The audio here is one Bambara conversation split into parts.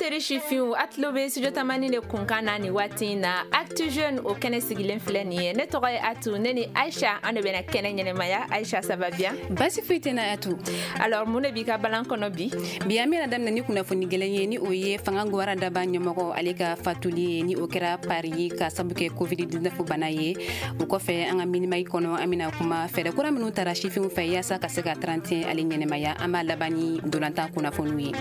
Teri sifinw, a tulo bɛ Studio Tamani de kunkan na nin waati in na. Actu Jeune, o kɛnɛ sigilen filɛ nin ye. Ne tɔgɔ ye Atu, ne ni Aisha, an de bɛna kɛnɛ ɲɛnɛmaya. Aisha, ça va bien? Basi foyi tɛ na, Atu. Alors, mun de b'i ka balan kɔnɔ bi? Bi, an bɛna daminɛ ni kunnafoni gɛlɛn ye, ni o ye fanga gwara daba ɲɛmɔgɔ, ale ka fatuli ye, ni o kɛra Paris ka sabu kɛ COVID-19 bana ye. O kɔfɛ, an ka Mini-Mag kɔnɔ, an bɛna kuma fɛɛrɛ kura minnu tara sifinw fɛ yaasa ka se ka 31 ale ɲɛnɛmaya. An b'a laban ni dolantan kunnafoniw ye.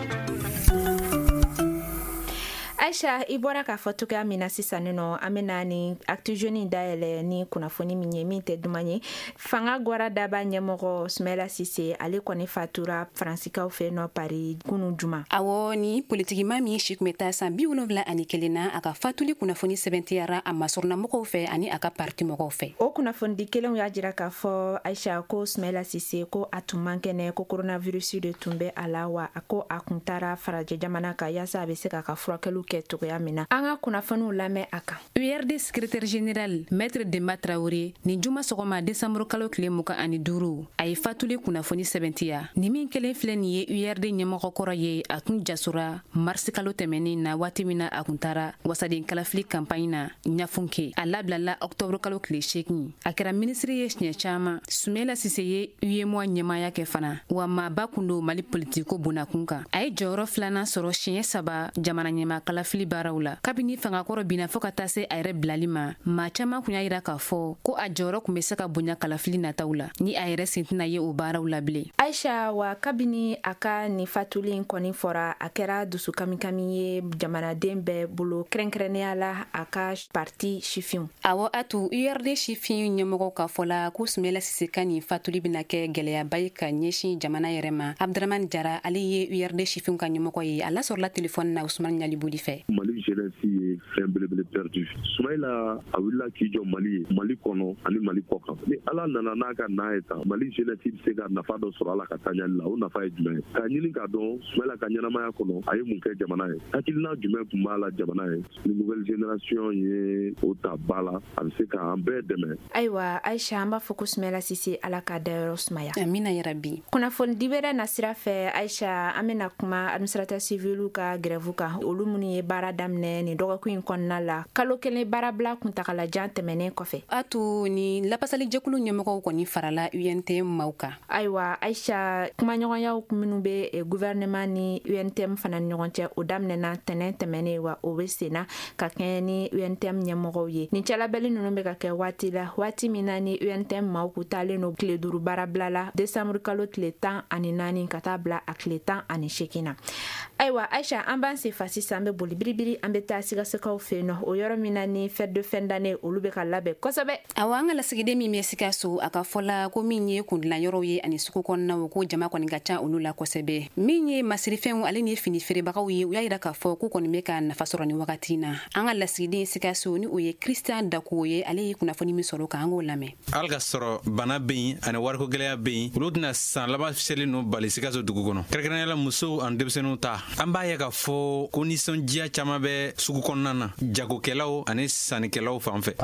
Aisha, i bɔra k'a fɔ cogoya min na sisan nɔ, an bɛna ni Actu Jeune dayɛlɛ ni kunnafoni min ye, min tɛ duman ye, fanga gwara daba ɲɛmɔgɔ Sumayila Sise, ale kɔni fatura Faransikaw fɛ nɔ Paris kunu juma. Awɔ, ni politikima min si tun bɛ taa san 71 na, a ka fatuli kunnafoni sɛbɛntiyara a masurunamɔgɔw fɛ ani a ka parti mɔgɔw fɛ. O kunnafonidi kelenw y'a jira k'a fɔ, Aisha, ko Sumayila Sise, ko a tun man kɛnɛ, ko coronavirus de tun bɛ a la, wa a ko a kun taara farajɛ jamana kan yaasa a bɛ se k'a ka furakɛliw kɛ cogoya min na. An ka kunnafoniw lamɛn a kan. URD secrétaire général, maître Demba Traoré, nin juma sɔgɔma, décembre kalo tile 25, a ye fatuli kunnafoni sɛbɛntiya. Ni min kelen filɛ nin ye, URD ɲɛmɔgɔ kɔrɔ ye, a tun jasora marisi kalo tɛmɛnen na, waati min na a kun taara wasaden kalafili campagne na Ɲafunke. A labilala octobre kalo tile 8. A kɛra minisiri ye siɲɛ caman. Sumayila Sise ye UEMOA ɲɛmaaya kɛ fana, wa maaba kun don Mali politiko bonnakun kan. A ye jɔyɔrɔ filanan sɔrɔ siɲɛ saba jamana ɲɛma kalafili baaraw la. Kabini fangakɔrɔ binna fɔɔ ka taa se a yɛrɛ bilali ma, maa caaman kun y'a yira k'a fɔ ko a jɔyɔrɔ kun be se ka bonya kalafili nataw la, ni a yɛrɛ sen tɛna ye o baaraw la bilen. Aisha, wa kabini a ka nin fatuli in kɔni fɔra, a kɛra dusu kamikami ye jamanaden bɛɛ bolo, kɛrɛnkɛrɛnnenya la a ka parti sifinw. Awɔ Atu, URD sifin ɲɛmɔgɔw ka fɔ la ko Sumayila Sise ka nin fatuli bɛna kɛ gɛlɛyaba ye ka ɲɛsin jamana yɛrɛ ma. Abdramani Jara, ale ye URD sifinw ka ɲɛmɔgɔ ye, a lasɔrɔla telefɔni na Usumani Ɲaliboli fɛ. Mali jeunesse ye fɛn belebele perdu. Sumayila, a wulila k'i jɔ Mali ye, Mali kɔnɔ ani Mali kɔ kan. Ni Ala nana n'a ka na ye tan, Mali jeunesse bɛ se ka nafa dɔ sɔrɔ a la ka taa ɲali la. O nafa ye jumɛn ye? K'a ɲini k'a dɔn Sumayila ka ɲɛnamaya kɔnɔ, a ye mun kɛ jamana ye, hakilina jumɛn tun b'a la jamana ye. Ni nouvelle génération ye o ta ba la, a bɛ se k'an bɛɛ dɛmɛ. Ayiwa Aisha, an b'a fɔ ko Sumayila Sise, Ala k'a dayɔrɔ sumaya. Amina yarabi. Kunnafoni di wɛrɛ na sira fɛ, Aisha, an bɛna kuma administrateur civil ka grève kan, olu minnu ye baara daminɛ nin dɔgɔkun in kɔnɔna la, kalo kelen baarabila kuntagalajan tɛmɛnen kɔfɛ. Atu, ni lapasalijɛkulu ɲɛmɔgɔw kɔni farala UNTM maaw kan. Ayiwa Aisha, kumaɲɔgɔnyaw minnu bɛ gouvernement ni UNTM fana ni ɲɔgɔn cɛ, o daminɛna tɛnɛn tɛmɛnen, wa o bɛ senna ka kɛɲɛ ni UNTM ɲɛmɔgɔw ye. Nin cɛlabɛli ninnu bɛ ka kɛ waati la, waati min na ni UNTM maaw k'u taalen don tile 5 baarabila la, décembre kalo tile 14 ka taa bila a tile 18 na. Ayiwa Aisha, an b'an sen fa sisan, an bɛ boli biribiri, an bɛ taa Sikasokaw fɛ yen nɔ, o yɔrɔ min na ni fête de fin d'année olu bɛ ka labɛn kosɛbɛ. Awɔ, an ka lasigiden min bɛ Sikaso, a ka fɔ la ko min ye kundilan yɔrɔw ye ani sugu kɔnɔnaw, ko jama kɔni ka ca olu la kosɛbɛ. Min ye masirifɛnw ale ni fini feerebagaw ye, u y'a yira k'a fɔ k'u kɔni bɛ ka nafa sɔrɔ ni wagati in na. An ka lasigiden Sikaso, ni o ye Christian Dako ye, ale ye kunnafoni min sɔrɔ kan, an k'o lamɛn. Hali ka sɔrɔ bana bɛ yen ani wariko gɛlɛya bɛ yen, olu tɛna san laban seli ninnu bali Sikaso dugu kɔnɔ, kɛrɛnkɛrɛnnenya la musow ani denmisɛnninw ta. An b'a ye k'a fɔ ko nisɔndiya caman bɛ sugu kɔnɔna na, jagokɛlaw ani sannikɛlaw fan fɛ.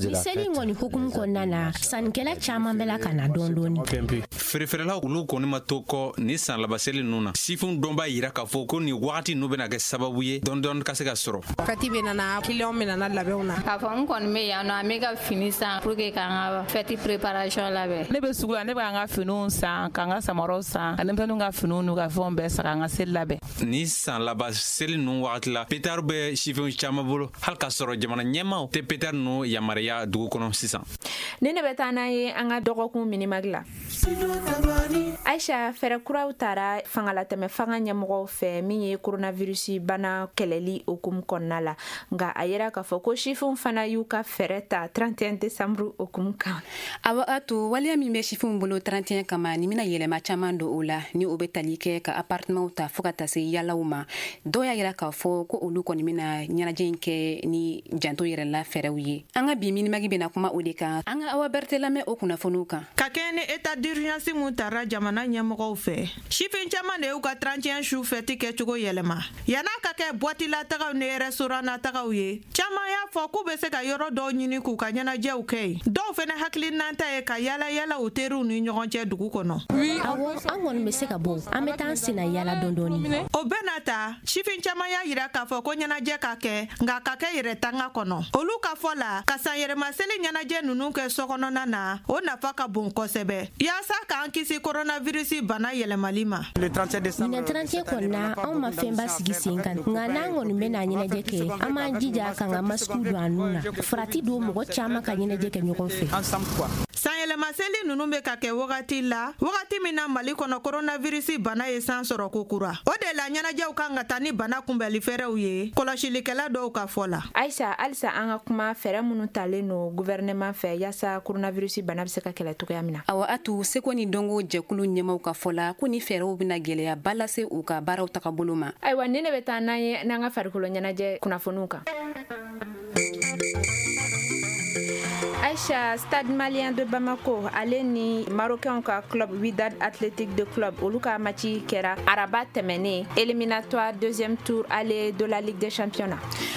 Ni seli in kɔni hukumu kɔnɔna na, sannikɛla caman bɛ la ka na dɔɔni dɔɔni. Feerefeerelaw, olu kɔni ma to kɔ ni san laban seli ninnu na. Sifinw dɔn b'a yira k'a fɔ ko nin wagati ninnu bɛna kɛ sababu ye dɔɔni dɔɔni ka se ka sɔrɔ. Fɛti bɛ nana, client bɛ nana labɛnw na. K'a fɔ n kɔni bɛ yan nɔ, an bɛ ka fini san pour que k'an ka fɛti préparation labɛn. Ne bɛ sugu la, ne bɛ an ka finiw san, k'an ka samaraw san, ka denmisɛnninw ka finiw n'u ka fɛnw bɛɛ san, k'an ka seli labɛn. Ni san laban seli ninnu wagati la, pétard bɛ sifinw caman bolo, hali k'a sɔrɔ jamana ɲɛmaaw tɛ pétard ninnu yamaruya dugu kɔnɔ sisan. Ni ne bɛ taa n'an ye an ka dɔgɔkun Mini-Mag la. Aisha, fɛɛrɛ kuraw tara fangalatɛmɛ fanga ɲɛmɔgɔw fɛ min ye coronavirus bana kɛlɛli hukumu kɔnɔna la, nka a yira k'a fɔ ko sifinw fana y'u ka fɛɛrɛ ta 31 décembre hukumu kan. Awɔ Atu, waleya min bɛ sifinw bolo 31 kama, ni bɛna yɛlɛma caman don o la, ni o bɛ tali kɛ ka appartement ta fɔɔ ka taa se yalaw ma. Dɔw y'a yira k'a fɔ ko olu kɔni bɛna ɲɛnajɛ in kɛ ni janto yɛrɛ la fɛɛrɛw ye. An ka bi Mini-Mag bɛna kuma o de kan. An ka Awa Berete lamɛn o kunnafoniw kan. Ka kɛɲɛ ni état d'urgence mun tara jamana ɲɛmɔgɔw fɛ, sifin caman de y'u ka 31 su fɛti kɛcogo yɛlɛma. Yan'a ka kɛ boîte la tagaw ni restaurant na tagaw ye, caman y'a fɔ k'u bɛ se ka yɔrɔ dɔw ɲini k'u ka ɲɛnajɛw kɛ yen. Dɔw fɛnɛ hakilinata ye ka yala yala u teriw ni ɲɔgɔn cɛ dugu kɔnɔ. Awɔ, an kɔni bɛ se ka bɔ, an bɛ taa an senna yala dɔɔni dɔɔni. O bɛɛ n'a ta, sifin caman y'a yira k'a fɔ ko ɲɛnajɛ ka kɛ, nka ka kɛ yɛrɛ tanga kɔnɔ. Olu ka fɔ la, ka san yɛlɛma seli ɲɛnajɛ ninnu kɛ sokɔnɔna na, o nafa ka bon kosɛbɛ, yaasa k'an kisi coronavirus bana yɛlɛmali ma. Ɲinan 31 kɔni na, anw ma fɛnba sigi sen kan, nka n'an kɔni bɛna ɲɛnajɛ kɛ, an b'an jija k'an ka masikiw don an nun na. Farati don mɔgɔ caman ka ɲɛnajɛ kɛ ɲɔgɔn fɛ. Sanyɛlɛmaseli ninnu bɛ ka kɛ wagati la, wagati min na Mali kɔnɔ coronavirus bana ye san sɔrɔ kokura. O de la ɲɛnajɛw kan ka taa ni bana kunbɛli fɛɛrɛw ye, kɔlɔsilikɛla dɔw ka fɔ la. Ayisa, halisa an ka kuma fɛɛrɛ minnu talen no gouvernement fɛ yaasa coronavirus bana bɛ se ka kɛlɛ cogoya min na. Awa Atu, seko ni dɔnko jɛkulu ɲɛmaw ka fɔ la ko ni fɛɛrɛw bɛna gɛlɛyaba lase u ka baaraw tagabolo ma. Ayiwa, ni ne bɛ taa n'an ye n'an ka farikolo ɲɛnajɛ kunnafoniw kan. Aïcha, Stade Malien de Bamako ale ni Marocain ka club Wydad Athletic de Club, olu ka match kɛra araba tɛmɛnen, éliminatoire deuxième tour aller de la Ligue des Champions.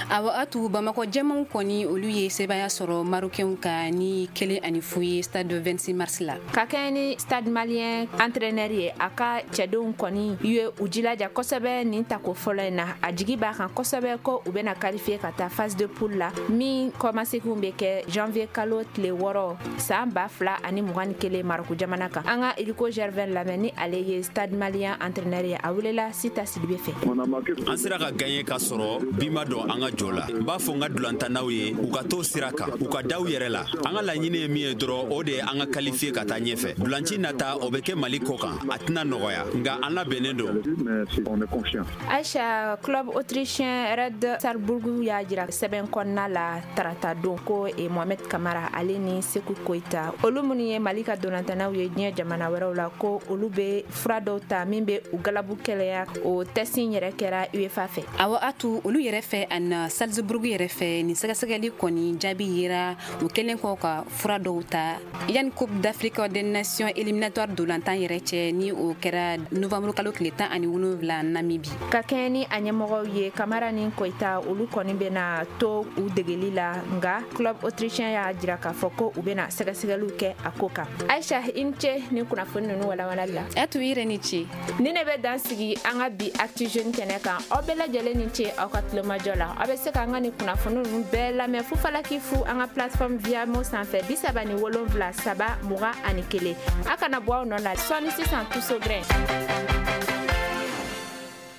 Awa Atu, Bamako jɛmanw kɔni, olu ye sebaya sɔrɔ Marocain ka ni 1-0 ye stade 26 mars la. Ka kɛɲɛ ni Stade Malien entraîneur ye, a ka cɛdenw kɔni ye u jilaja kosɛbɛ nin tako fɔlɔ in na. A jigi b'a kan kosɛbɛ ko u bɛna qualifier ka taa phase de poule la, min kɔmaseginw bɛ kɛ janvier kalo tile 6 san 2021 Marɔku jamana kan. An ka Iliko Gervin lamɛn, ni ale ye Stade Malien entraîneur ye. A welela Sita Sidibe fɛ. An sera ka gagner ka sɔrɔ bi ma dɔn an ka jɔ la. N b'a fɔ n ka dulantannaw ye, u ka to sira kan, u ka da u yɛrɛ la. An ka laɲini ye min ye dɔrɔn, o de ye an ka qualifier ka taa ɲɛfɛ. Dulanci nata, o bɛ kɛ Mali kɔ kan, a tɛna nɔgɔya, nka an labɛnnen don. Aisha, club autrichien Red Salzburg y'a jira sɛbɛn kɔnɔna la tarata don ko Mohamed Kamara ale ni Seku Koyita, olu minnu ye Mali ka dolantannaw ye diɲɛ jamana wɛrɛw la, ko olu bɛ fura dɔw ta min bɛ u galabu kɛlɛya. O test in yɛrɛ kɛra UEFA fɛ. Awɔ Atu, olu yɛrɛ fɛ ani Salzburg yɛrɛ fɛ, nin sɛgɛsɛgɛli kɔni jaabi yera u kɛlen kɔ ka fura dɔw ta yanni Coupe d'Afrique des Nations éliminatoire dolantan yɛrɛ cɛ, ni o kɛra novembre kalo tile 17 Namibie. Ka kɛɲɛ ni a ɲɛmɔgɔw ye, Kamara ni Koyita, olu kɔni bɛna to u degeli la, nka club autrichien y'a jira k'a fɔ ko u bɛna sɛgɛsɛgɛliw kɛ a ko kan. Aisha, i ni ce ni kunnafoni ninnu walawalali la. Atu, i yɛrɛ ni ce. Ni ne bɛ dan sigi an ka bi Actu Jeune kɛnɛ kan. Aw bɛɛ lajɛlen ni ce aw ka tulomajɔ la. Aw bɛ se k'an ka nin kunnafoni ninnu bɛɛ lamɛn fufalaki fu an ka plateforme Viamo sanfɛ 77 3 21. A kana bɔ aw nɔ la sɔɔni sisan, Tuso Grain.